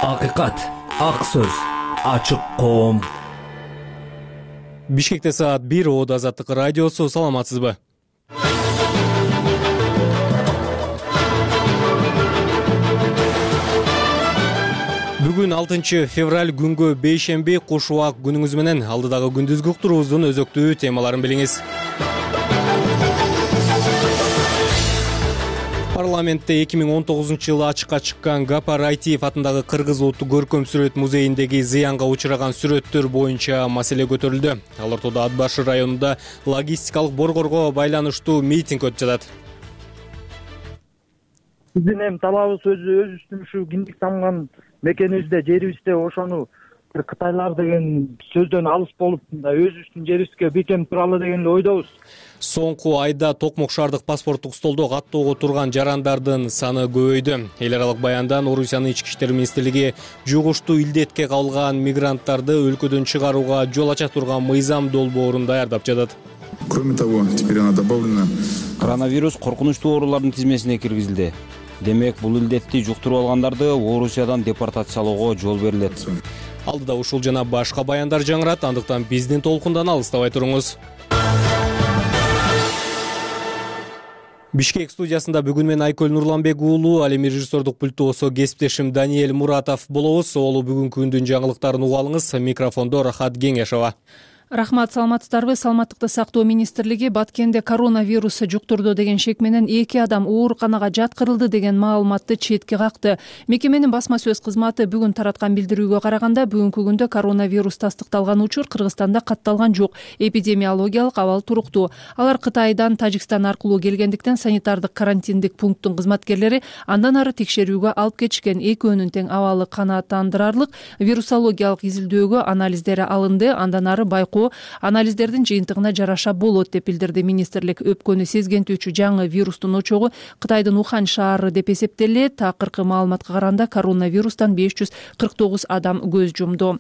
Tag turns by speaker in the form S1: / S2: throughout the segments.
S1: Акыйкат, ак сөз, ачык коом.
S2: Бишкекте саат 1, Оодо Азаттык радиосу. Саламатсызбы? Бүгүн 6 февраль күнгө бейшемби, куш убак күнүңүз менен. Алдыдагы күндүзгү уктуруубуздун өзөктүү темаларын билиңиз. Парламентте 2019-жылы ачыкка чыккан Гапар Айтиев атындагы Кыргыз улуттук көркөм сүрөт музейиндеги зыянга учураган сүрөттөр боюнча маселе көтөрүлдү. Ал ортодо Ат башы районунда логистикалык борборго байланыштуу митинг өтүп жатат.
S3: Биздин эми талабыбыз өзүбүздүн ушу киндик тамган мекенибизде, жерибизде ошону Кытайлар деген сөздөн алыс болуп, өзүбүздүн жерибизге бекем туралы деген ойдобуз.
S2: Соңку айда Токмок шаардык паспорттук столдо каттоого турган жарандардын саны көбөйдү. Эл аралык баяндан Орусиянын ички иштер министрлиги жугуштуу илдетке кабылган мигранттарды өлкөдөн чыгарууга жол ача турган мыйзам долбоорун даярдап жатат.
S4: Кроме того, теперь она добавлена.
S5: Коронавирус коркунучтуу оорулардын тизмесине киргизилди. Демек, бул илдетти жуктуруп алгандарды Орусиядан депортациялоого жол берилет.
S2: Алдыда ушул жана башка баяндар жаңырат, андыктан биздин толкундан алыстабай туруңуз. Бишкек студиясында бүгүн мен Айкөл Нурланбек уулу, ал эми режиссердук пульттоосо кесиптешим Даниэль Муратов болобуз. Олу бүгүнкү күндүн жаңылыктарын уга алыңыз. Микрофондо Рахат Кеңешова.
S6: Рахмат, саламатсыздарбы? Саламаттыкты сактоо министрлиги Баткенде коронавирус жуктурду деген шек менен 2 адам ооруканага жаткырылды деген маалыматты четке какты. Мекеменин басма сөз кызматы бүгүн тараткан билдирүүгө караганда, бүгүнкү күндө коронавирус тастыкталган учур Кыргызстанда катталган жок. Эпидемиологиялык абал туруктуу. Алар Кытайдан, Тажикстан аркылуу келгендиктен санитардык карантиндик пункттун кызматкерлери андан ары текшерүүгө алып кетишкен. Экөөнүн тең абалы канааттандырарлык. Вирусологиялык изилдөөгө анализдери алынды, андан ары байкоо анализдердин жыйынтыгына жараша болот деп билдирди министрлик. Өпкөнү сезгентүүчү жаңы вирустун очогу Кытайдын Ухан шаары деп эсептелет. Акыркы маалыматка караганда коронавирустан 549 адам көз жумду.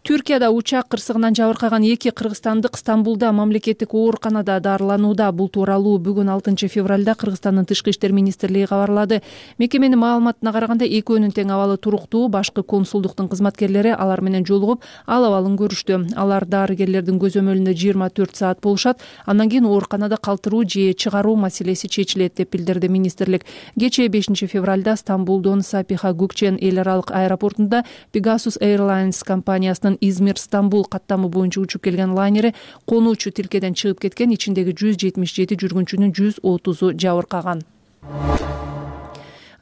S6: Түркияда учак кырсыгынан жабыркаган 2 кыргызстандык Стамбулда мамлекеттик ооруканада дарыланууда. Бул тууралуу бүгүн 6 февралда Кыргызстандын тышкы иштер министрлиги кабарлады. Мекеменин маалыматына караганда экөөнүн тең абалы туруктуу. Башкы консулдуктун кызматкерлери алар менен жолугуп, ал абалын көрүштү. Алар дарыгерлердин көзөмөлүндө 24 саат болушат. Андан кийин ооруканада калтыруу же чыгаруу маселеси чечилет деп билдирди министрлик. Кечээ 5 февралда Стамбулдон Сапиха Гукчен эл аралык аэропортунда Pegasus Airlines компаниясынын Измир Стамбул каттамы боюнча учуп келген лайнери конуучу тилкеден чыгып кеткен. Ичиндеги 177 жүргүнчүнүн 130-у жабыркаган.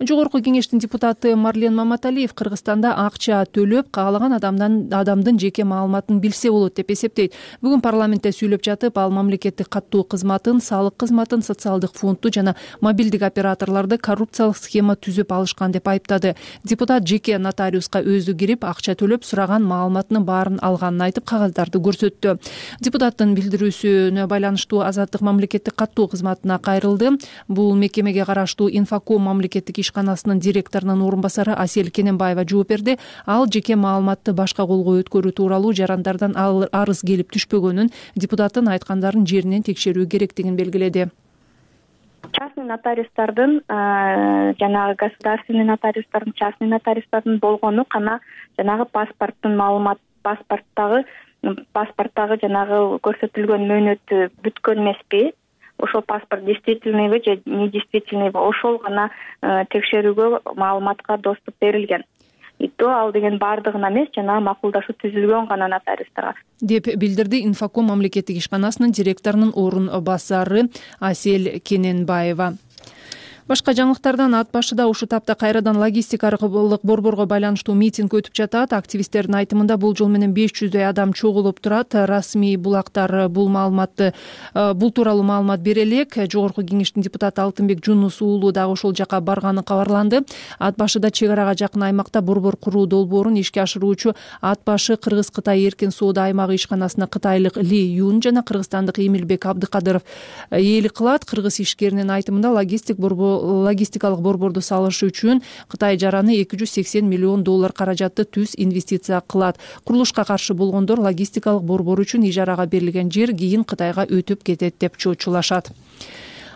S6: Жогорку кеңештин депутаты Марлен Маматалиев Кыргызстанда акча төлөп, каалаган адамдын жеке маалыматын билсе болот деп эсептейт. Бүгүн парламентте сүйлөп жатып, ал мамлекеттик каттоо кызматын, салык кызматын, социалдык фондду жана мобилдик операторлорду коррупциялык схема түзүп алышкан деп айыптады. Депутат жеке нотариуска өзү кирип, акча төлөп, сураган маалыматынын баарын алганын айтып, кагаздарды көрсөттү. Депутаттын билдирүүсүнө байланыштуу Азаттык мамлекеттик каттоо кызматына кайрылды. Бул мекемеге караштуу Инфоком мамлекеттик ишканасынын директорунун орун басары Асел Кененбаева жооп берди. Ал жеке маалыматты башка колго өткөрүү тууралуу жарандардан арыз келип түшпөгөнүн, депутаттын айткандарын жеринен текшерүү керектигин белгиледи.
S7: Частный нотариустардын жанагы государственный нотариустардын, частный нотариустардын болгону кана жанагы паспорттун маалымат, паспорттагы жанагы көрсөтүлгөн мөөнөтү бүткөн эмеспи? Ошол паспорт действительныйбы же недействительныйбы, ошол гана текшерүүгө маалыматка доступ берилген. И то ал деген баардыгына эмес, жанагы макулдашуу түзүлгөн гана нотариустарга
S6: деп билдирди Инфоком мамлекеттик ишканасынын директорунун орун басары Асел Кененбаева. Башка жаңылыктардан Ат башыда ушу тапта кайрадан логистикалык борборго байланыштуу митинг өтүп жатат. Активисттердин айтымында бул жол менен 500дөй адам чогулуп турат. Расмий булактар бул тууралуу маалымат бере элек. Жогорку кеңештин депутаты Алтынбек Жунус уулу дагы ошол жака барганы кабарланды. Ат башыда чек арага жакын аймакта борбор куруу долбоорун ишке ашыруучу Ат башы Кыргыз-Кытай эркин соода аймагы ишканасына кытайлык Ли Юн жана кыргызстандык Эмилбек Абдыкадыров ээлик кылат. Кыргыз ишкеринин айтымында логистикалык борборду салыш үчүн Кытай жараны $280 миллион каражатты түз инвестиция кылат. Курулушка каршы болгондор логистикалык борбор үчүн ижарага берилген жер кийин Кытайга өтүп кетет деп чочулашат.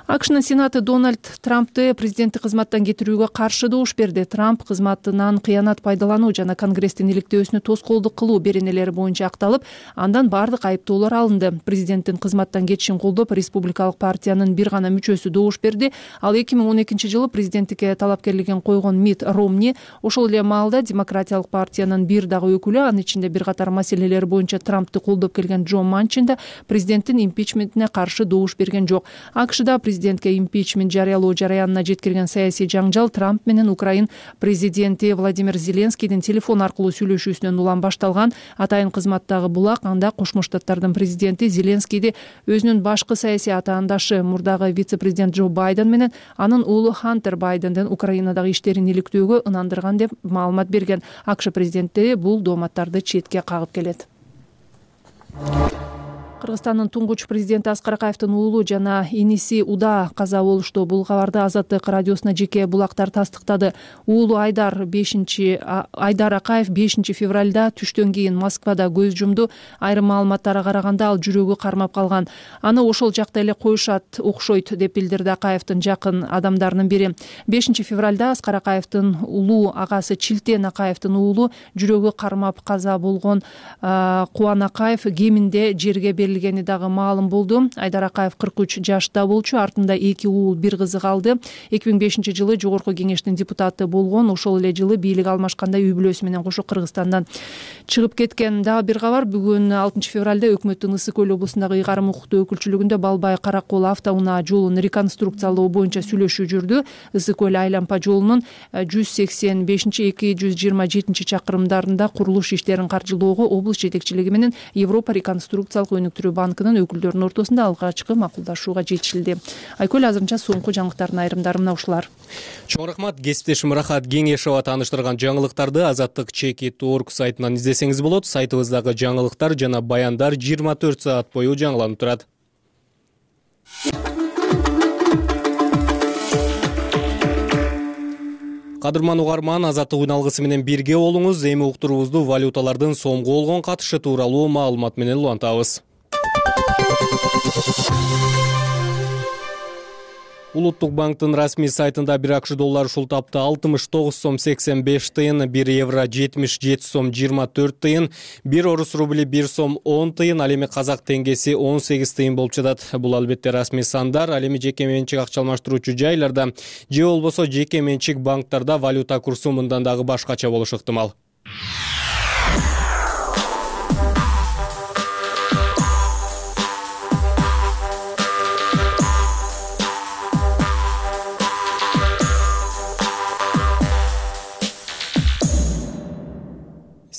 S6: акшнын сенаты Дональд Трампты президенттик кызматтан кетирүүгө каршы добуш берди. Трамп кызматынан кыянат пайдалануу жана Конгресстин иликтөөсүнө тоскоолдук кылуу беренелери боюнча акталып, андан баардык айыптоолор алынды. Президенттин кызматтан кетишин колдоп, республикалык партиянын бир гана мүчөсү добуш берди. Ал 2012-жылы президенттикке талапкерлигин койгон Митт Ромни. Ошол эле маалда демократиялык партиянын бир дагы өкүлү, анын ичинде бир катар маселелер боюнча Трампты колдоп келген Джо Манчин да президенттин импичментине каршы добуш берген жок. АКШда президентке импичмент жарыялоо жараянына жеткирген саясий жаңжал Трамп менен Украин президенти Владимир Зеленскийдин телефон аркылуу сүйлөшүүсүнөн улам башталган. Атайын кызматтагы булак анда Кошмо Штаттардын президенти Зеленскийди өзүнүн башкы саясий атаандашы мурдагы вице-президент Джо Байден менен анын уулу Хантер Байденден Украинадагы иштерин иликтөөгө ынандырган деп маалымат берген. АКШ президенти бул дооматтарды четке кагып келет. Кыргызстандын туңгуч президенти Аскар Акаевдин уулу жана иниси Уда каза болушту. Бул кабарды Азаттык радиосуна жеке булактар тастыктады. Уулу Айдар Акаев 5 февралда түштөн кийин Москвада көз жумду. Айрым маалыматтарга караганда ал жүрөгү кармап калган. Аны ошол жакта эле коюшат окшойт деп билдирди Акаевдин жакын адамдарынын бири. 5 февралда Аскар Акаевдин улуу агасы Чилтен Акаевдин уулу жүрөгү кармап каза болгон. Кубан Акаев кеминде жерге берилгени дагы маалым болду. Айдар Акаев 43 жашта болчу, артында 2 уул, 1 кызы калды. 2005-жылы Жогорку кеңештин депутаты болгон. Ошол эле жылы бийлик алмашканда үй бүлөсү менен кошо Кыргызстандан чыгып кеткен. Дагы бир кабар, бүгүн 6 февралда өкмөттүн Ысык Көл облусундагы ыйгарым укуктуу өкүлчүлүгүндө Балбай Каракол автоунаа жолун реконструкциялоо боюнча сүйлөшүү жүрдү. Ысык Көл айлампа жолунун 185-227 чакырымдарында курулуш иштерин каржылоого облус жетекчилиги менен Европа реконструкциялык өнүктүрүү банкынын өкүлдөрүнүн ортосунда алгачкы макулдашууга жетишилди. Айкөл, азырынча соңку жаңылыктардын айрымдары мына ушулар.
S2: Чоң рахмат. Кесиптешим Рахат Кеңешова тааныштырган жаңылыктарды Азаттык.org сайтынан издесеңиз болот. Сайтыбыздагы жаңылыктар жана баяндар 24 саат бою жаңыланып турат. Кадырман угарман, Азаттык үн алгысы менен бирге болуңуз. Эми уктуруубузду валюталардын сомго болгон катышы тууралуу маалымат менен улантабыз. Улуттук банктын расмий сайтында 1 акш доллары ушул тапта 69 сом 85 тыйын, 1 евро 77 сом 24 тыйын, 1 орус рубли 1 сом 10 тыйын, ал эми казак теңгеси 18 тыйын болуп жатат. Бул албетте расмий сандар. Ал эми жеке менчик акча алмаштыруучу жайларда же болбосо жеке менчик банктарда валюта курсу мындан дагы башкача болушу ыктымал.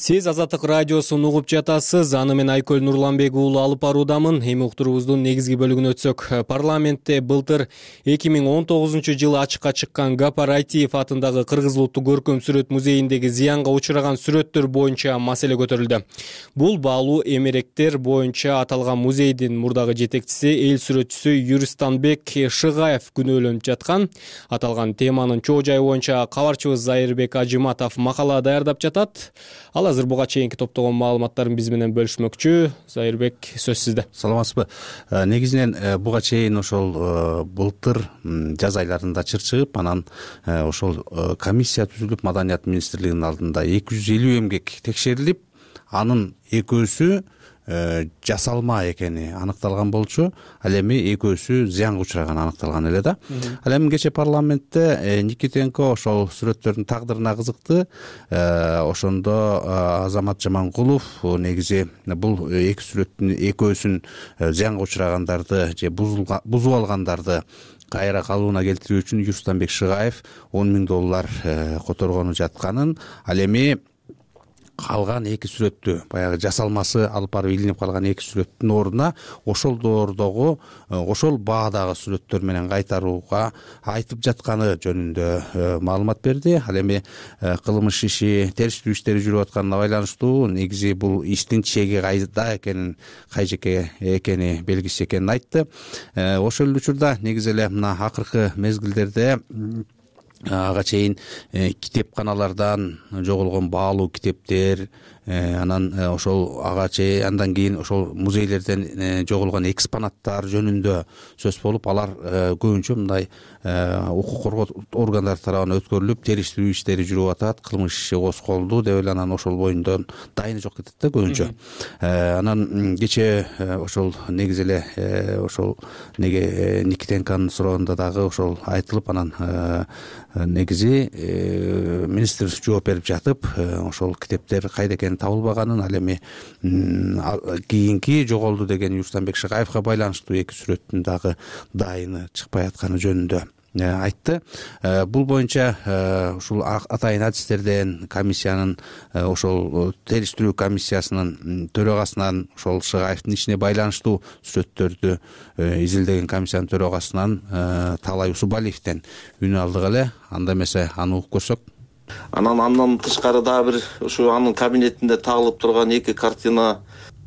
S2: Сиз Азаттык радиосун угуп жатасыз. Аны мен Айкөл Нурланбек уулу алып баруудамын. Эми уктуруубуздун негизги бөлүгүнө өтсөк, парламентте былтыр 2019-жылы ачыкка чыккан Гапар Айтиев атындагы Кыргыз улуттук көркөм сүрөт музейиндеги зыянга учураган сүрөттөр боюнча маселе көтөрүлдү. Бул баалуу эмеректер боюнча аталган музейдин мурдагы жетекчиси, эл сүрөтчүсү Юристанбек Шыгаев күнөөлөнүп жаткан. Аталган теманын чоо жайы боюнча кабарчыбыз Зайырбек Ажыматов макала даярдап жатат. Ал азыр буга чейинки топтогон маалыматтарын биз менен бөлүшмөкчү. Зайырбек, сөз сизде.
S8: Саламатсызбы? Негизинен буга чейин ошол былтыр жаз айларында чырчыгып, анан ошол комиссия түзүлүп, Маданият министрлигинин алдында 250 эмгек текшерилип, анын экөөсү жасалма экени аныкталган болчу. Ал эми экөөсү зыянга учураган аныкталган эле да. Ал эми кече парламентте Никитенко ошол сүрөттөрдүн тагдырына кызыкты. Ошондо Азамат Жаманкулов негизи бул эки сүрөттүн экөөсүн зыянга учурагандарды же бузуп алгандарды кайра калыбына келтирүү үчүн Юристанбек Шыгаев 10 000 доллар которгону жатканын, ал эми калган эки сүрөттү, баягы жасалмасы алып барып илинип калган эки сүрөттүн ордуна ошол доордогу, ошол баадагы сүрөттөр менен кайтарууга айтып жатканы жөнүндө маалымат берди. Ал эми кылмыш иши, териштирүү иштери жүрүп атканына байланыштуу негизи бул иштин чеги кайда экенин, кай жеке экени белгисиз экенин айтты. Ошол эле учурда негизи эле мына акыркы мезгилдерде ага чейин китепканалардан жоголгон баалуу китептер, анан ошол ага чейин андан кийин ошол музейлерден жоголгон экспонаттар жөнүндө сөз болуп, алар көбүнчө мындай укук коргоо органдары тарабынан өткөрүлүп, териштирүү иштери жүрүп атат, кылмыш иши козголду деп эле анан ошол боюнда дайыны жок кетет да көбүнчө. Анан кечээ ошол негизи эле ошол Никитенконун суроогунда дагы ошол айтылып, анан негизи министр жооп берип жатып, ошол китептер кайда экени табылбаганын, ал эми кийинки жоголду деген Юрстанбек Шакаевка байланыштуу 2 сүрөттүн дагы дайыны чыкпай атканы жөнүндө айтты. Бул боюнча ушул атайын адистерден комиссиянын, ошол териштирүү комиссиясынын төрагасынан, ошол Шакаевдин ишине байланыштуу сүрөттөрдү изилдеген комиссиянын төрагасынан Таалай Усубалиевден үн алдык эле. Анда эмесе аны угуп көрсөк.
S9: Андан тышкары дагы бир ушу анын кабинетинде тагылып турган 2 картина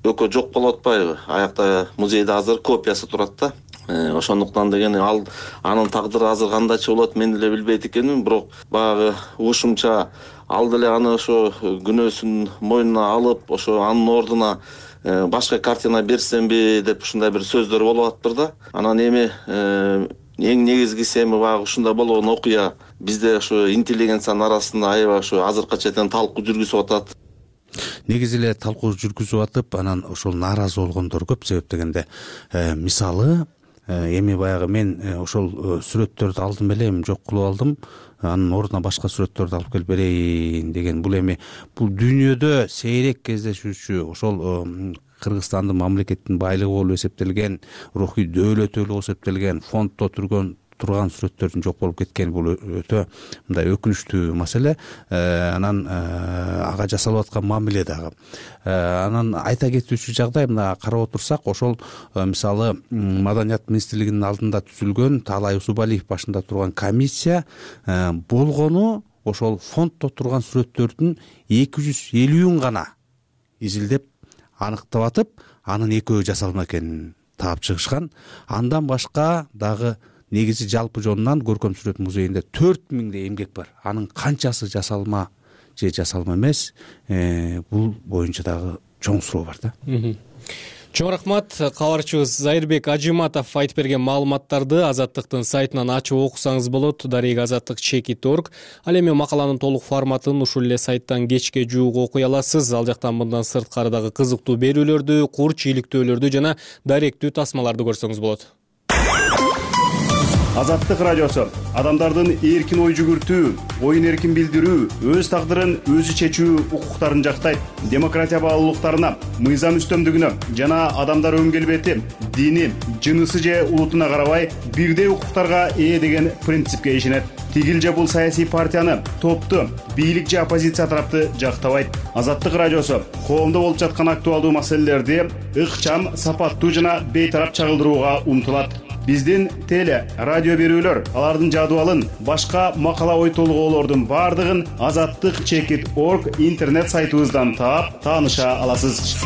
S9: экөө жок болуп атпайбы? Аякта музейде азыр копиясы турат да. Ошондуктан деген анын тагдыры азыр кандайча болот мен деле билбейт экенмин, бирок баягы ушумча ал деле аны ошо күнөөсүн мойнуна алып, ошо анын ордуна башка картина берсемби деп ушундай бир сөздөр болуп атыптыр да. Анан эми эң негизгиси эми баягы ушундай болгон окуя бизде ошо интеллигенциянын арасында аябай ошо азыркыга чейин талкуу жүргүзүп атат.
S8: Негизи эле талкуу жүргүзүп атып, анан ошол нааразы болгондор көп. Себеп дегенде мисалы эми баягы мен ошол сүрөттөрдү алдым эле, эми жок кылып алдым, анын ордуна башка сүрөттөрдү алып келип берейин деген. Бул дүйнөдө сейрек кездешүүчү, ошол Кыргызстандын мамлекеттин байлыгы болуп эсептелген, рухий дөөлөтү болуп эсептелген, фонддо турган сүрөттөрдүн жок болуп кеткени бул өтө мындай өкүнүчтүү маселе. Анан ага жасалып аткан мамиле дагы. Анан айта кетүүчү жагдай, мына карап отурсак, ошол мисалы Маданият министрлигинин алдында түзүлгөн Таалай Усубалиев башында турган комиссия болгону ошол фонддо турган сүрөттөрдүн 250-ün гана изилдеп аныктап атып, анын экөө жасалма экенин таап чыгышкан. Андан башка дагы негизи жалпы жонунан Көркөм сүрөт музейинде 4000 эмгек бар. Анын канчасы жасалма же жасалма эмес, бул боюнча дагы чоң суроо бар да.
S2: Чоң рахмат. Кабарчыбыз Зайырбек Ажиматов айтып берген маалыматтарды Азаттыктын сайтынан ачып окусаңыз болот. @azattik.org. Ал эми макаланын толук форматын ушул эле сайттан кечке жуук окуй аласыз. Ал жактан мындан сырткары дагы кызыктуу берүүлөрдү, курч иликтөөлөрдү жана даректүү тасмаларды көрсөңүз болот.
S10: Азаттык радиосу адамдардын эркин ой жүгүртүү, оюн эркин билдирүү, өз тагдырын өзү чечүү укуктарын жактайт. Демократия баалуулуктарына, мыйзам үстөмдүгүнө жана адамдар өн келбети, дини, жынысы же улутуна карабай бирдей укуктарга ээ деген принципке ишенет. Тигил же бул саясий партияны, топту, бийлик же оппозиция тарапты жактабайт. Азаттык радиосу коомдо болуп жаткан актуалдуу маселелерди ыкчам, сапаттуу жана бейтарап чагылдырууга умтулат. Биздин теле, радио берүүлөр, алардын жадыбалын, башка макала ой толгоолордун бардыгын azattik.org интернет сайтыбыздан таап, тааныша аласыз.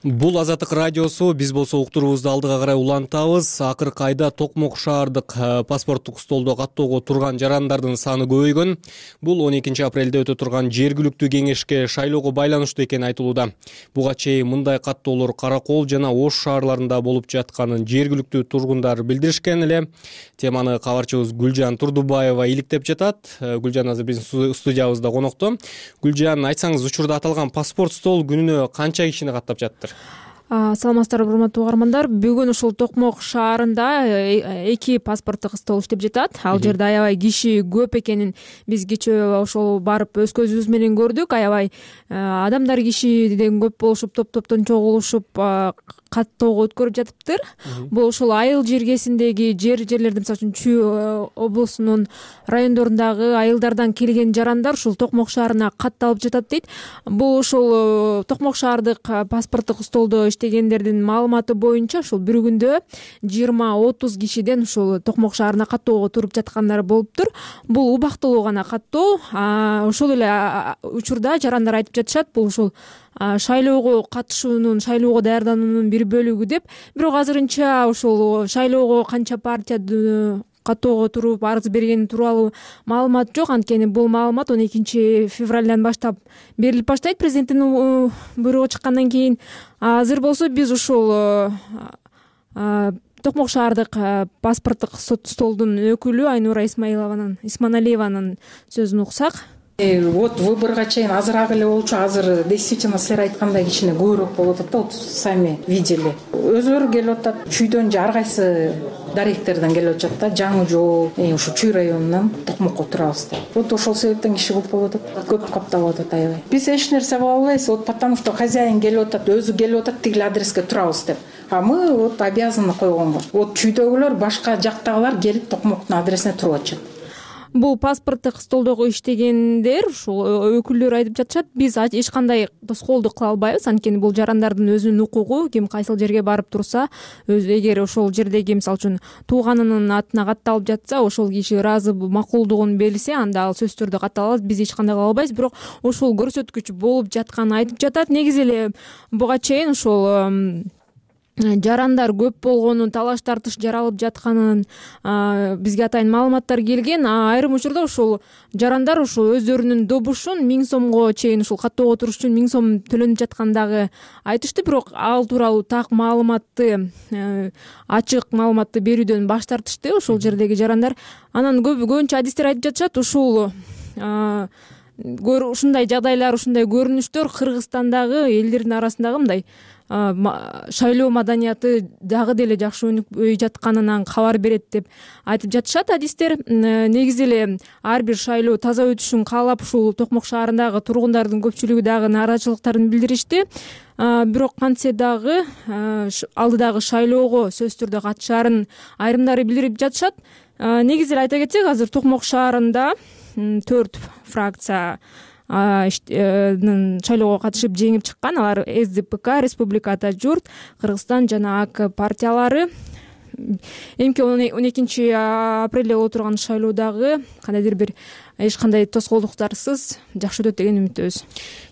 S2: Бул Азаттык радиосу. Биз болсо уктуруубузду алдыга карай улантабыз. Акыркы айда Токмок шаардык паспорттук столдо каттоого турган жарандардын саны көбөйгөн. Бул 12 апрелде өтө турган жергиликтүү кеңешке шайлоого байланыштуу экени айтылууда. Буга чейин мындай каттоолор Кара Кол жана Ош шаарларында болуп жатканын жергиликтүү тургундар билдиришкен эле. Теманы кабарчыбыз Гүлжан Турдубаева иликтеп жатат. Гүлжан азыр биздин студиябызда конокто. Гүлжан, айтсаңыз, учурда аталган паспорт стол күнүнө канча кишини каттап жатыр?
S11: Саламатсыздарбы, урматтуу угармандар. Бүгүн ушул Токмок шаарында 2 паспорттук стол иштеп жатат. Ал жерде аябай киши көп экенин биз кечээ ошол барып өз көзүбүз менен көрдүк. Аябай адамдар кишиден көп болушуп, топтон чогулушуп каттоого өткөрүп жатыптыр. Бул ушул айыл жергесиндеги жерлердин, мисалы үчүн Чүй облусунун райондорундагы айылдардан келген жарандар ушул Токмок шаарына катталып жатат дейт. Бул ушул Токмок шаардык паспорттук столдо иштегендердин маалыматы боюнча ушул бир күндө 20-30 кишиден ушул Токмок шаарына каттоого туруп жаткандар болуптур. Бул убактылуу гана каттоо. Ошол эле учурда жарандар айтып жатышат, бул ушул шайлоого катышуунун, шайлоого даярдануунун бир бөлүгү деп. Бирок азырынча ушул шайлоого канча партия каттоого туруп арыз бергени тууралуу маалымат жок. Анткени бул маалымат 12 февралдан баштап берилип баштайт президенттин буйругу чыккандан кийин. Азыр болсо биз ушул Токмок шаардык паспорттук столдун өкүлү Айнура Исманалиеванын сөзүн уксак.
S12: Вот выборго чейин азыраак эле болчу. Азыр действительно силер айткандай кичине көбүрөөк болуп атат да. Вот сами видели. Өзүлөрү келип атат. Чүйдөн же ар кайсы даректерден келип атат да. Жаңы жол, ушу Чүй районунан Токмокко турабыз деп. Вот ошол себептен киши көп болуп атат. Көп капталып атат аябай. Биз эч нерсе кыла албайбыз. Вот потому что хозяин келип атат, өзү келип атат, тигил адреске турабыз деп. А мы вот обязаны койгонго. Вот Чүйдөгүлөр, башка жактагылар келип Токмоктун адресине туруп атышат.
S11: Бул паспорттук столдогу иштегендер, ушул өкүлдөр айтып жатышат, биз эч кандай тоскоолдук кыла албайбыз. Анткени бул жарандардын өзүнүн укугу. Ким кайсыл жерге барып турса, эгер ошол жердеги мисалы үчүн тууганынын атына катталып жатса, ошол киши ыраазы макулдугун белсе, анда ал сөзсүз түрдө каттала алат. Биз эч кандай кыла албайбыз. Бирок ошол көрсөткүч болуп жатканын айтып жатат. Негизи эле буга чейин ошол жарандар көп болгонун, талаш тартыш жаралып жатканын бизге атайын маалыматтар келген. Айрым учурда ошол жарандар ошол өздөрүнүн добушун 1000 сомго чейин ушул каттоого туруш үчүн 1000 сом төлөнүп жаткандагы айтышты. Бирок ал тууралуу так маалыматты, ачык маалыматты берүүдөн баш тартышты ошол жердеги жарандар. Анан көбүнчө адистер айтып жатышат, ушул ушундай жагдайлар, ушундай көрүнүштөр Кыргызстандагы элдердин арасындагы мындай шайлоо маданияты дагы деле жакшы өнүкпөй жатканынан кабар берет деп айтып жатышат адистер. Негизи эле ар бир шайлоо таза өтүшүн каалап, ушул Токмок шаарындагы тургундардын көпчүлүгү дагы нааразычылыктарын билдиришти. Бирок кантсе дагы алдыдагы шайлоого сөзсүз түрдө катышаарын айрымдары билдирип жатышат. Негизи эле айта кетсек, азыр Токмок шаарында 4 фракция шайлоого катышып жеңип чыккан. Алар СДПК, Республика Ата журт, Кыргызстан жана АК партиялары. Эмки 12 апрелде боло турган шайлоодагы кандайдыр бир эч кандай тоскоолдуктарсыз жакшы өтөт деген үмүттөбүз.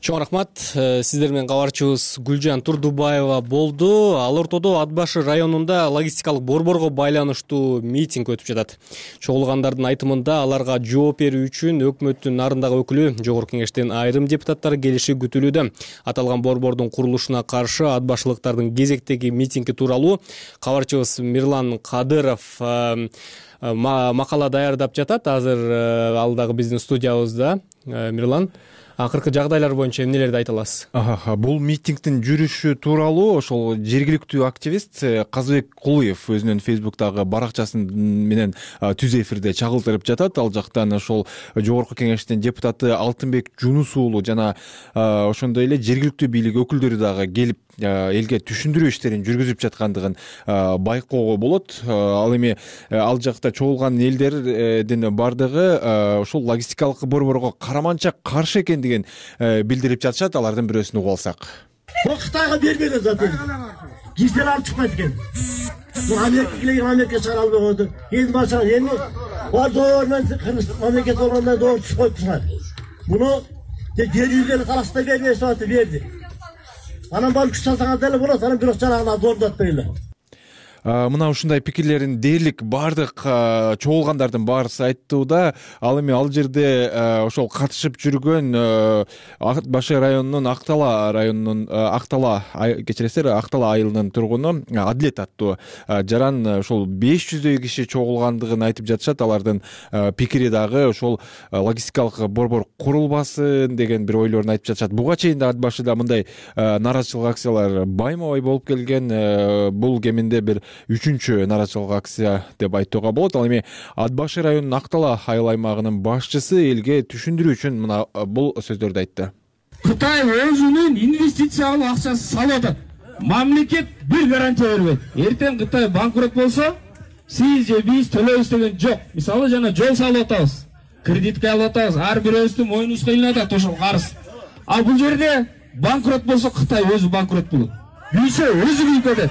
S2: Чоң рахмат. Сиздер менен кабарчыбыз Гүлжан Турдубаева болду. Ал ортодо Ат башы районунда логистикалык борборго байланыштуу митинг өтүп жатат. Чогулгандардын айтымында аларга жооп берүү үчүн өкмөттүн нарындагы өкүлү, Жогорку Кеңештин айрым депутаттары келиши күтүлүүдө. Аталган борбордун курулушуна каршы ат башылыктардын кезектеги митинги тууралуу кабарчыбыз Мирлан Кадыров макала даярдап жатат. Азыр ал дагы биздин студиябызда. Мирлан, акыркы жагдайлар боюнча эмнелерди айта аласыз?
S13: Бул митингдин жүрүшү тууралуу ошол жергиликтүү активист Казыбек Кулуев өзүнүн Фейсбуктагы баракчасы менен түз эфирде чагылдырып жатат. Ал жактан ошол Жогорку Кеңештин депутаты Алтынбек Жунус уулу жана ошондой эле жергиликтүү бийлик өкүлдөрү дагы келип элге түшүндүрүү иштерин жүргүзүп жаткандыгын байкоого болот. Ал эми ал жакта чогулган элдердин бардыгы ошол логистикалык борборго караманча каршы экендигин билдирип жатышат. Алардын бирөөсүн угуп алсак.
S14: Бул Кытайга бербеген заты. Киштер алып чыкпайт экен. Бул Америка чыгара албаган. Энд башка эми бордор менен мамлекет болгондо доор түшүп коюптур. Буну жер үйдөн карашта бербей саты берди. Анан барып күч салсаңар деле болот, анан бирок жарагына доордот дейли.
S13: Мына ушундай пикирлерин дээрлик бардык чогулгандардын баарысы айттууда. Ал эми ал жерде ошол катышып жүргөн Ат башы районунун Актала айылынын тургуну Адилет аттуу жаран ошол 500дөй киши чогулгандыгын айтып жатышат. Алардын пикири дагы ошол логистикалык борбор курулбасын деген бир ойлорун айтып жатышат. Буга чейин да Ат башыда мындай нааразычылык акциялар байма-бай болуп келген. Бул кеминде бир 3-чү нааразычылык акция деп айтууга болот. Ал эми Ат башы районунун Актала айыл аймагынын башчысы элге түшүндүрүү үчүн мына бул сөздөрдү айтты.
S15: Кытай өзүнүн инвестициялык акчасын салып атат. Мамлекет бир гарантия бербейт. Эртең Кытай банкрот болсо, сиз же биз төлөйбүз деген жок. Мисалы жана жол салып атабыз, кредитке алып атабыз, ар бирөөбүздүн мойнубузга илинип атат ошол карыз. А бул жерде банкрот болсо Кытай өзү банкрот болот. Күйсө өзү күйүп кетет.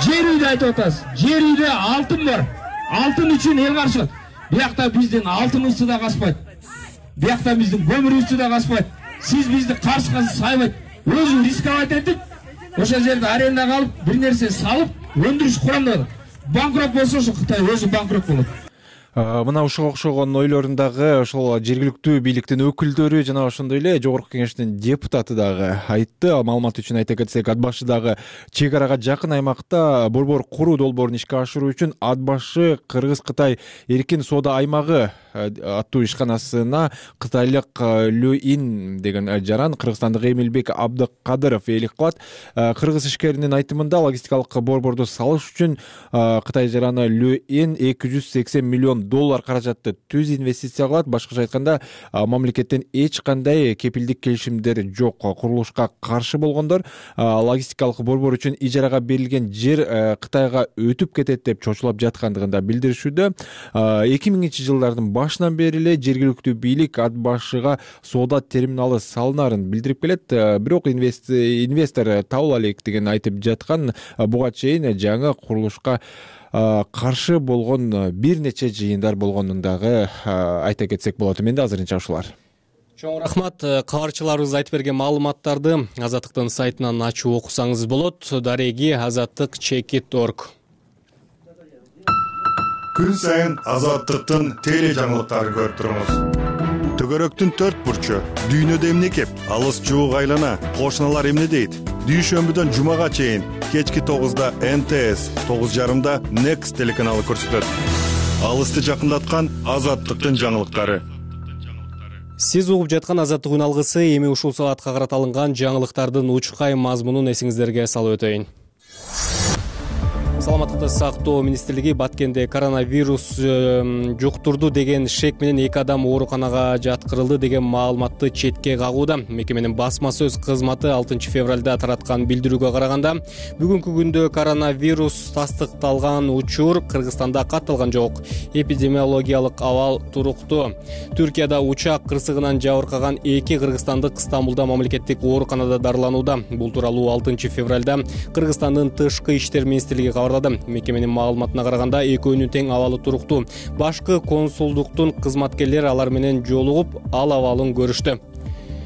S15: Жер үйдө айтып атасыз. Жер үйдө алтын бар. Алтын үчүн эл каршылык. Биякта биздин алтыныбызды да каспайт. Биякта биздин көмүрүбүздү да каспайт. Сиз бизди каршыга сайбайт. Өзү рисковать этип, ошол жерде арендага алып, бир нерсе салып, өндүрүш курамдады. банкрот болсо ошо Кытай өзү банкрот болот.
S13: Мына ушуга окшогон ойлорун дагы ошол жергиликтүү бийликтин өкүлдөрү жана ошондой эле жогорку кеңештин депутаты дагы айтты. Маалымат үчүн айта кетсек, ат башы дагы чек арага жакын аймакта борбор куруу долбоорун ишке ашыруу үчүн ат башы Кыргыз-Кытай эркин соода аймагы аттуу ишканасына кытайлык Лю-ин деген жаран кыргызстандык Эмилбек Абдыкадыров ээлик кылат. Кыргыз ишкеринин айтымында логистикалык борборду салыш үчүн Кытай жараны Лю-ин 280 миллион доллар каражатты түз инвестиция кылат. Башкача айтканда, мамлекеттен эч кандай кепилдик келишимдер жок. Курулушка каршы болгондор логистикалык борбор үчүн ижарага берилген жер Кытайга өтүп кетет деп чочулап жаткандыгын да билдиришүүдө. 2000-жылдардын башынан бери эле жергиликтүү бийлик ат башыга соода терминалы салынарын билдирип келет. Бирок инвестор табыла элек деген айтып жаткан. Буга чейин жаңы курулушка каршы болгон бир нече жыйындар болгонун дагы айта кетсек болот. Менде азырынча ушулар.
S2: Чоң рахмат. Кабарчыларыбыз айтып берген маалыматтарды Азаттыктын сайтынан ачып окусаңыз болот. Дареги azattik.org.
S16: Күн сайын Азаттыктын теле жаңылыктарын көрүп туруңуз. Төгөрөктүн 4 бурчу, дүйнөдө эмне кеп, алыс жуук айлана, кошуналар эмне дейт? Дүйшөмбүдөн жумага чейин кечки 9-да НТС, 9:30-да Next телеканалы көрсөтөт. Алысты жакындаткан Азаттыктын жаңылыктары.
S2: Сиз угуп жаткан Азаттык күн алгысы эми ушул саатка карата алынган жаңылыктардын учкай мазмунун эсиңиздерге салып өтөйүн. Саламаттыкты сактоо министрлиги Баткенде коронавирус жуктурду деген шек менен 2 адам ооруканага жаткырылды деген маалыматты четке кагууда. Мекеменин басма сөз кызматы 6 февралда тараткан билдирүүгө караганда, бүгүнкү күндө коронавирус тастыкталган учур Кыргызстанда катталган жок. Эпидемиологиялык абал туруктуу. Түркияда учак кырсыгынан жабыркаган 2 кыргызстандык Стамбулда мамлекеттик ооруканада дарыланууда. Бул тууралуу 6 февралда Кыргызстандын тышкы иштер министрлиги кабарлады. Мекеменин маалыматына караганда, экөөнүн тең абалы туруктуу. Башкы консулдуктун кызматкерлери алар менен жолугуп, ал абалын көрүштү.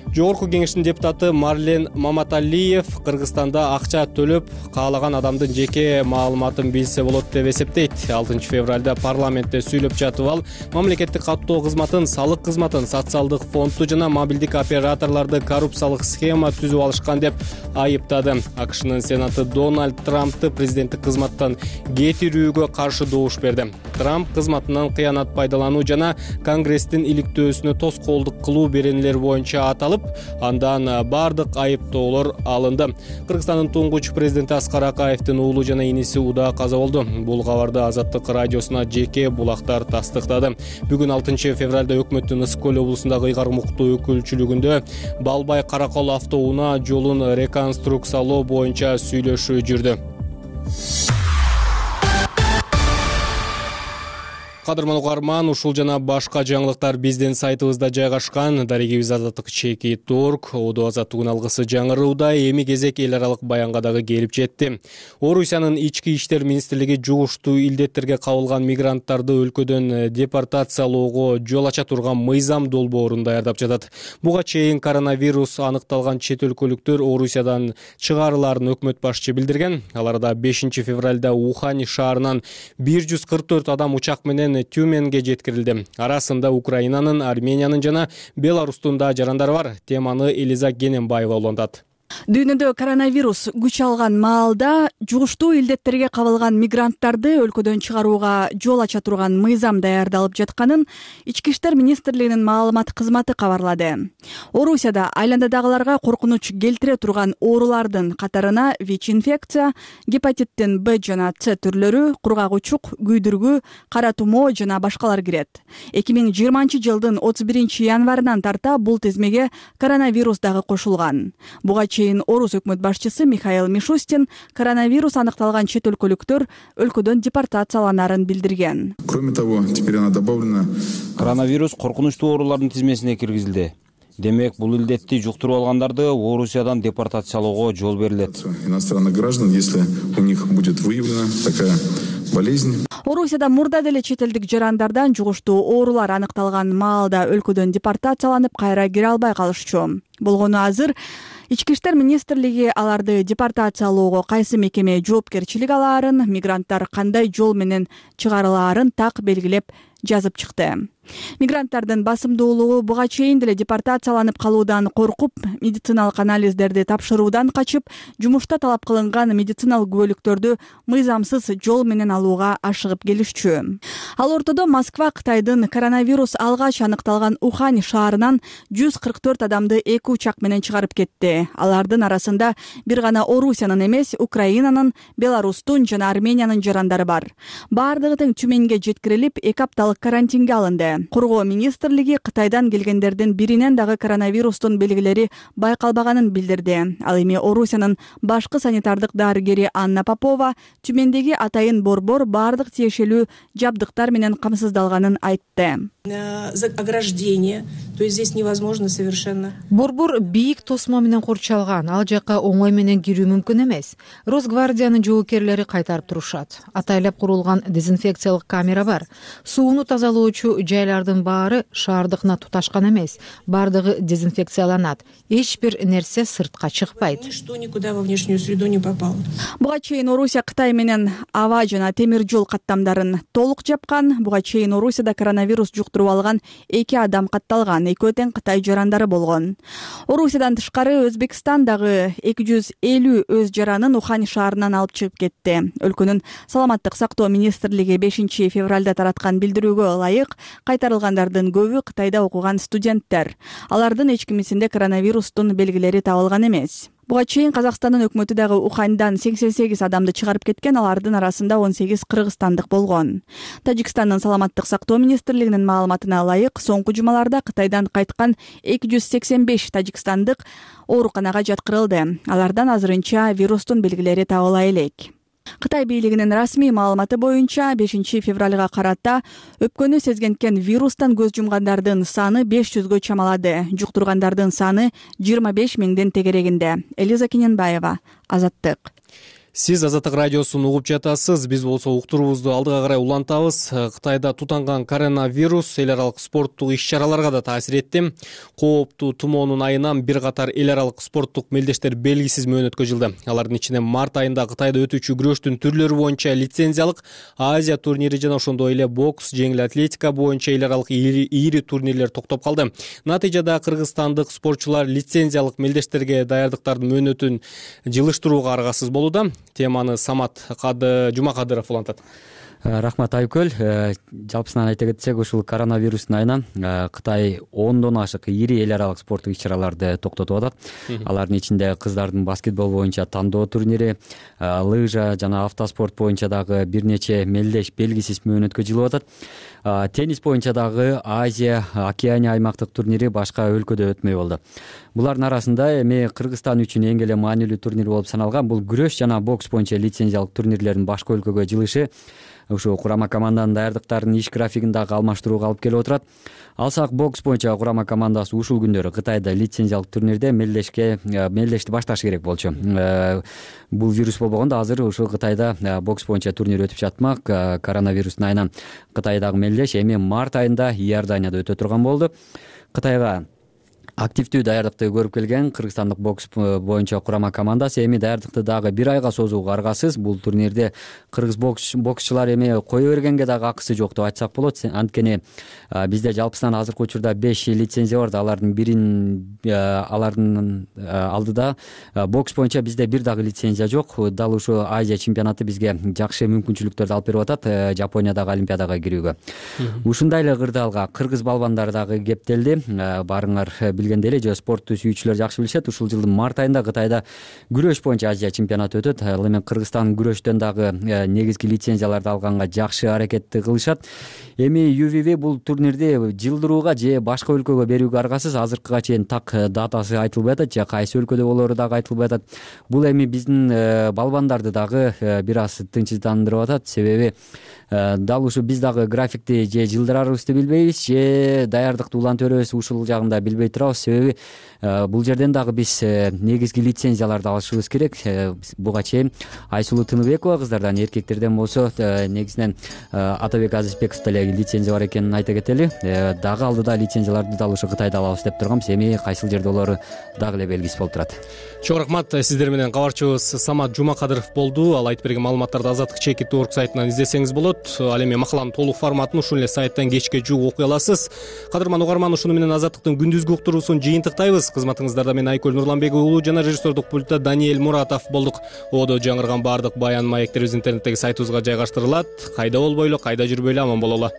S2: Жогорку кеңештин депутаты Марлен Маматалиев Кыргызстанда акча төлөп, каалаган адамдын жеке маалыматын билсе болот деп эсептейт. 6 февралда парламентте сүйлөп жатып ал, мамлекеттик каттоо кызматын, салык кызматын, социалдык фондду жана мобилдик операторлорду коррупциялык схема түзүп алышкан деп айыптады. АКШнын сенаты Дональд Трампты президенттик кызматтан кетирүүгө каршы добуш берди. Трамп кызматынан кыянат пайдалануу жана Конгресстин иликтөөсүнө тоскоолдук кылуу беренелер боюнча аталып, андан бардык айыптоолор алынды. Кыргызстандын туңгуч президенти Аскар Акаевдин уулу жана иниси Уда каза болду. Бул кабарды Азаттык радиосуна жеке булактар тастыктады. Бүгүн 6 февралда өкмөттүн Ысык көл облусундагы ыйгар муктуу өкүлчүлүгүндө Балбай Каракол автоунаа жолун реконструкциялоо боюнча сүйлөшүү жүрдү. Кадырман угарман, ушул жана башка жаңылыктар биздин сайтыбызда жайгашкан. Дарегибиз azattik.org. Оодо Азаттык күн алгысы жаңырууда. Эми кезек эл аралык баянга дагы келип жетти. Орусиянын ички иштер министрлиги жугуштуу илдеттерге кабылган мигранттарды өлкөдөн депортациялоого жол ача турган мыйзам долбоорун даярдап жатат. Буга чейин коронавирус аныкталган чет өлкөлүктөр Орусиядан чыгарыларын өкмөт башчы билдирген. Аларда 5 февралда Ухань шаарынан 144 адам учак менен Тюменге жеткирилди. Арасында Украинанын, Армениянын жана Беларустун да жарандары бар. Теманы Элиза Гененбаева улантат.
S17: Дүйнөдө коронавирус күч алган маалда жугуштуу илдеттерге кабылган мигранттарды өлкөдөн чыгарууга жол ача турган мыйзам даярдалып жатканын Ички иштер министрлигинин маалымат кызматы кабарлады. Орусияда айландадагыларга коркунуч келтире турган оорулардын катарына ВИЧ-инфекция, гепатиттин Б жана С түрлөрү, кургак-учук, күйдүргү, кара тумоо жана башкалар кирет. 2020-жылдын 31 январынан тарта бул тизмеге коронавирус дагы кошулган. Буга чейин Орус өкмөт башчысы Михаил Мишустин коронавирус аныкталган чет өлкөлүктөр өлкөдөн депортацияланарын билдирген.
S4: Кроме того, теперь она добавлена.
S5: Коронавирус коркунучтуу оорулардын тизмесине киргизилди. Демек, бул илдетти жуктуруп алгандарды Орусиядан депортациялоого жол берилет.
S4: Иностранных граждан, если у них будет выявлена такая болезнь.
S17: Орусияда мурда деле чет элдик жарандардан жугуштуу оорулар аныкталган маалда өлкөдөн депортацияланып кайра кире албай калышчу. Болгону азыр Ички иштер министрлиги аларды депортациялоого кайсы мекеме жоопкерчилик алаарын, мигранттар кандай жол менен чыгарылаарын так белгилеп жазып чыкты. Мигранттардын басымдуулугу буга чейин деле депортацияланып калуудан коркуп, медициналык анализдерди тапшыруудан качып, жумушта талап кылынган медициналык күбөлүктөрдү мыйзамсыз жол менен алууга ашыгып келишчү. Ал ортодо Москва Кытайдын коронавирус алгач аныкталган Ухань шаарынан 144 адамды 2 учак менен чыгарып кетти. Алардын арасында бир гана Орусиянын эмес, Украинанын, Беларустун жана Армениянын жарандары бар. Бардыгы тең Түменге жеткирилип, 2 апталык карантинге алынды. Коргоо министрлиги Кытайдан келгендердин биринен дагы коронавирустун белгилери байкалбаганын билдирди. Ал эми Орусиянын башкы санитардык дарыгери Анна Попова Түмендеги атайын борбор бардык тиешелүү жабдыктар менен камсыздалганын айтты.
S18: Ограждение, то есть здесь невозможно совершенно.
S19: Борбор бийик тосмо менен корчалган, ал жака оңой менен кирүү мүмкүн эмес. Росгвардиянын жоокерлери кайтарып турушат. Атайлап курулган дезинфекциялык камера бар. Сууну тазалоочу жайлардын баары шаардыкына туташкан эмес. Бардыгы дезинфекцияланат. Эч бир нерсе сыртка чыкпайт.
S18: Ничто никуда во внешнюю среду не попало.
S17: Буга чейин Орусия Кытай менен аба жана темир жол каттамдарын толук жапкан. Буга чейин Орусияда коронавирус жуктуруп алган 2 адам катталган, экөө тең Кытай жарандары болгон. Орусиядан тышкары Өзбекстан дагы 250 өз жаранын Ухань шаарынан алып чыгып кетти. Өлкөнүн саламаттык сактоо министрлиги 5 февралда тараткан билдирүүгө ылайык кайтарылгандардын көбү Кытайда окуган студенттер. Алардын эч кимисинде коронавирустун белгилери табылган эмес. Буга чейин Казакстандын өкмөтү дагы Уханьдан 88 адамды чыгарып кеткен, алардын арасында 18 кыргызстандык болгон. Тажикстандын саламаттык сактоо министрлигинин маалыматына ылайык, соңку жумаларда Кытайдан кайткан 285 тажикстандык ооруканага жаткырылды. Алардан азырынча вирустун белгилери табыла элек. Кытай бийлигинин расмий маалыматы боюнча 5 февралга карата өпкөнү сезгенткен вирустан көз жумгандардын саны 500гө чамалады. Жуктургандардын саны 25 миңден тегерегинде. Элиза Кененбаева, Азаттык.
S2: Сиз Азаттык радиосун угуп жатасыз. Биз болсо уктуруубузду алдыга карай улантабыз. Кытайда тутанган коронавирус эл аралык спорттук иш-чараларга да таасир этти. Кооптуу тумоонун айынан бир катар эл аралык спорттук мелдештер белгисиз мөөнөткө жылды. Алардын ичинде март айында Кытайда өтүүчү күрөштүн түрлөрү боюнча лицензиялык Азия турнири жана ошондой эле бокс, жеңил атлетика боюнча эл аралык ири турнирлер токтоп калды. Натыйжада кыргызстандык спортчулар лицензиялык мелдештерге даярдыктардын мөөнөтүн жылыштырууга аргасыз болууда. Теманы Самат Жумакадыров улантат.
S20: Рахмат Айкөл. Жалпысынан айта кетсек, ушул коронавирустун айынан Кытай 10дон ашык ири эл аралык спорттук иш-чараларды токтотуп атат. Алардын ичинде кыздардын баскетбол боюнча тандоо турнири, лыжа жана автоспорт боюнча дагы бир нече мелдеш белгисиз мөөнөткө жылып атат. Теннис боюнча дагы Азия, Океания аймактык турнири башка өлкөдө өтмөй болду. Булардын арасында эми Кыргызстан үчүн эң эле маанилүү турнир болуп саналган бул күрөш жана бокс боюнча лицензиялык турнирлердин башка өлкөгө жылышы ушу курама команданын даярдыктарынын иш графигин дагы алмаштырууга алып келип отурат. Алсак бокс боюнча курама командасы ушул күндөрү Кытайда лицензиялык турнирде мелдешти башташы керек болчу. Бул вирус болбогондо азыр ушул Кытайда бокс боюнча турнир өтүп жатмак. Коронавирустун айынан Кытайдагы мелдеш эми март айында Иорданияда өтө турган болду. Кытайга активдүү даярдыкты көрүп келген кыргызстандык бокс боюнча курама командасы эми даярдыкты дагы бир айга созууга аргасыз. Бул турнирде кыргыз боксчулар эми кое бергенге дагы акысы жок деп айтсак болот. Анткени бизде жалпысынан азыркы учурда 5 лицензия бар. Алардын бирин алардын алдыда бокс боюнча бизде бир дагы лицензия жок. Дал ушу Азия чемпионаты бизге жакшы мүмкүнчүлүктөрдү алып берип атат Жапониядагы олимпиадага кирүүгө. Ушундай эле кырдаалга кыргыз балбандары дагы кептелди. Барыңар билгендей эле, спортту сүйүүчүлөр жакшы билишет. Ушул жылдын март айында Кытайда күрөш боюнча Азия чемпионаты өтөт. Ал эми Кыргызстан күрөштөн дагы негизги лицензияларды алганга жакшы аракетти кылышат. Эми UVV бул турнирди жылдырууга же башка өлкөгө берүүгө аргасыз. Азыркыга чейин так датасы айтылбай атат, же кайсы өлкөдө болору дагы айтылбай атат. Бул эми биздин балбандарды дагы бир аз тынчсыздандырып атат. Себеби дал ушу биз дагы графикти же жылдырарыбызды билбейбиз, же даярдыкты улантып беребиз, ушул жагында билбей турабыз. себеби бул жерден дагы биз негизги лицензияларды алышыбыз керек. Буга чейин Айсулуу Тыныбекова кыздардан, эркектерден болсо негизинен Атабек Азизбеков деле лицензия бар экенин айта кетели. Дагы алдыда лицензияларды да ушу Кытайда алабыз деп турганбыз. Эми кайсыл жерде болору дагы эле белгисиз болуп турат.
S2: Чоң рахмат. Сиздер менен кабарчыбыз Самат Жумакадыров болду. Ал айтып берген маалыматтарды Азаттык чекит орг сайтынан издесеңиз болот. Ал эми макаланын толук форматын ушул эле сайттан кечке жууп окуй аласыз. Кадырман угарман, ушуну менен Азаттыктын күндүзгү уктуруусун жыйынтыктайбыз. Кызматыңыздарда мен Айкөл Нурланбек уулу жана режиссердук пультта Даниэль Муратов болдук. Одо жаңырган баардык баян маектерибиз интернеттеги сайтыбызга жайгаштырылат. Кайда болбойлу, кайда жүрбөйлү аман бололу.